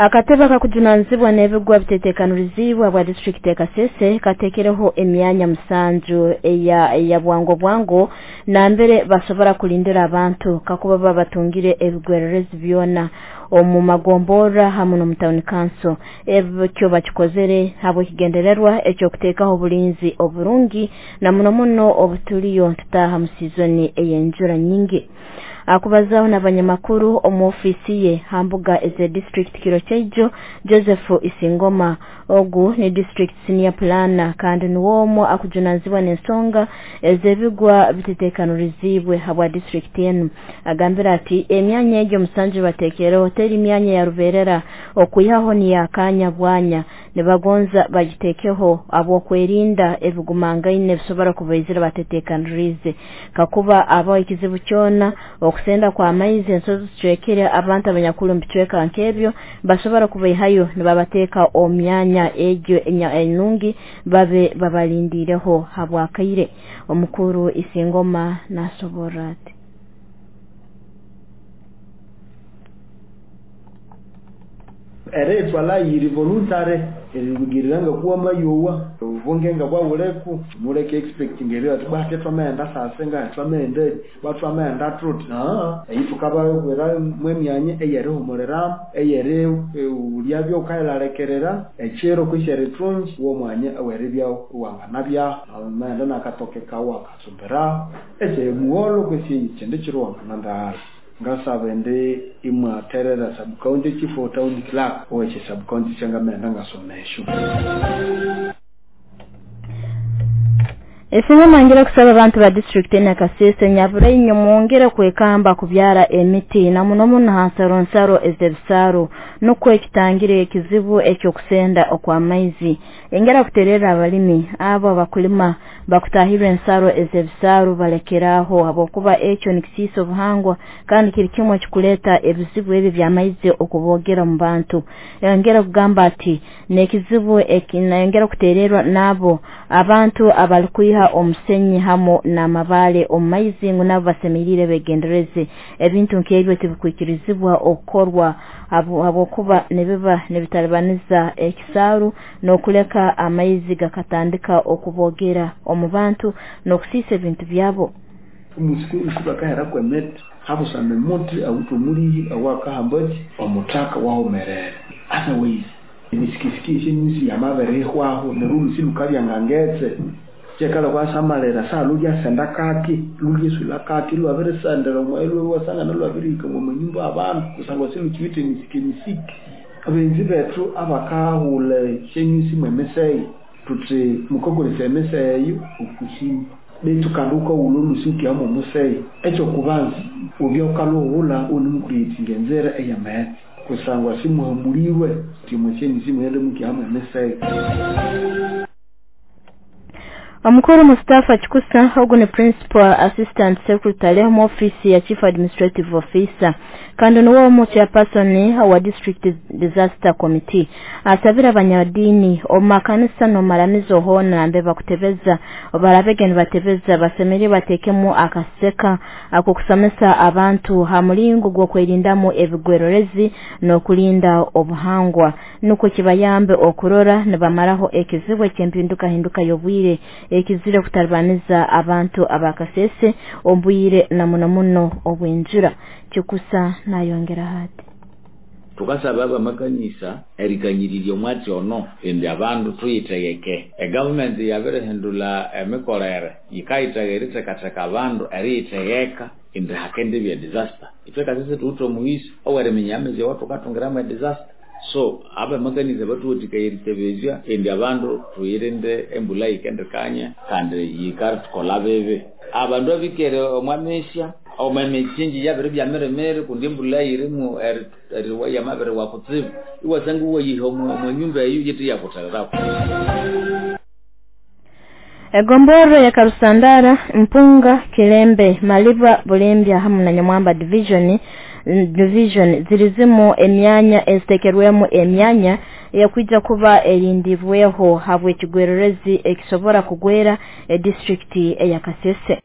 Akatebe akakujunanizibwa n'ebigwa bitetekaniriziibwe bwa disitulikiti ya Kasese kateekereho emyanya 7 eya bwango bwango nambere basobora kulindira abantu kakuba baba batungire ebigwererezi byona omu magomborra hamu n'omu town council. Ebyo bakikozere habw'ekigendererwa eky'okuteekaho obulinzi oburungi na muno muno obutuliyo tutaaha mu sizoni ey'enjura nyingi. Akubazaho n'abanyamakuru omu ofiisi ye ha mbuga eza district kiro kyaijo, Joseph Isingoma ogu ni district senior planner kandi niwe omwe akujunanizibwa n'ensonga ez'ebigwa bitetekaniriziibwe habwa district enu. Agambira ati emyanya egyo 7 bateekereho teri myanya ya rubeerera, okwihaho niyakanya bwanya, nibagonza bagiteekeho habw'okwerinda ebigumangaine bisobora kubaizira batetekaniriize. Kakuba abaho ekizibu kyona, okusenda kw'amaizi, ensozi zicwekere, abantu abanyakuli omu bicweka nk'ebyo basobora kubaihayo nibabateeka omu myanya egyo enungi babe babalindireho habwakaire. Omukuru Isingoma nasoborra ati eritwala yiri voluntary eribugirira kuwa mayowa ubunge nga bwawuleku muleke expecting eri ati bwate twamenda sase nga twamende batwamenda truth eyitukaba mwemyanye eyerihumulira eyeri ulya byokailalekerera echiro kwishere trungi wo mwanya aweribya wanganabya amenda nakatoke kawa katsumbira eche muholo kwisi chende chiro wangananda. Ngasaba ndi imwaterera sub county chief or town clerk oweche sub county changamenda ngasomesho. Esingoma ngira kusaba abantu ba district ena Kasese nyabura inyo mwongere kwekamba kubyara emiti na muno muno hansaro nsaro ez'ebisaro nukwo ekitangire ekizibu ekyokusenda okw'amaizi. Engera kuterera abalimi abo abakulima bakutahirwe ensaro ez'ebisaro balekeraho habwokuba ekyo nikisiisa obuhangwa kandi kiri kimwe kikuleta ebizibu ebi by'amaizi okubogera mu bantu. Engera kugamba ati n'ekizibu engera kutererwa nabo abantu abalikwiha omusenyi hamu n'amabaale omu maizi ngu nabo basemerire begendereze ebintu nk'ebyo tibikwikirizibwa okukorwa habwokuba nibiba nibitalibaniza ekisaaru n'okuleka amaizi gakatandika okubogera omu bantu n'okusiisa ebintu byabo. Omusiki kwemete habusame muti awutumuli awakahambaki omutaka wahomerere otherwise emisikisiki enyusi yamaberehwaho nerulusi lukabyangangetse chekala kwasamalera salulya senda kaki lulyesula kaki lwabirisendera omwelo wasangana lwabirika mu nyumba abantu kusangwa silukiwite misiki abenzi bethu abakahula shenyusi mwemeseyi tuti mukokolesa emeseyi okushima betu kanduka ulolusuki amo museyi ekyo kubanza ubyokaluhula unimukuyitingenzera eyametse kusangwa simuhamuliwe timwechenyusi mwende mukihamwe emeseyi. Omukuru Mustafa Chikusa ogu ni Principal Assistant Secretary mu office ya Chief Administrative Officer kandi niwe omu chairperson wa District Disaster Committee asabira abanyadini omu makanisa n'omaramizo hona nambe bakutebeza barabege nibatebeza basemeri batekemu akaseka akokusomesa abantu ha mulingo gw'okwerindamu ebigwererezi n'okulinda obuhangwa nuko kibayambe okurora nibamaraho ekizibu eky'empinduka hinduka y'obwire ekizire kutalibaniza abantu abakasese obwire na muno muno obwenjura. Chikusa nayongera hati tukasaba abamakanisa erikanyiriria omwatsi ono indi abandu tuyitegeke. Egovernment yabirihindula emikorere yikayithega erithekatheka abandu eriyitegeka indi hakende bya disaster. Itwe Kasese tuwithe omughisa oweriminya amezi awathukatungiramu edisaster. So abamakanisa batuwathikaya eritebezya indi abandu tuyirinde embula yikendikanya kandi yikathukolha bibi. Abandu abikere omwamesya omwemichinji yabiri byamiremere kundi embula yirimu eriwa yamabiri wakutsibu iwasanga iwayiha omwanyumba eyo yithi yakuthererako. Egomboro ya Karusandara, Mpunga, Kilembe, Maliba, Bulembya hamu na Nyamwamba division zirizimu emyanya ezitekerwemu emyanya yakwija kuba erindibweho habw'ekigwererezi ekisobora kugwera edistrict eya Kasese.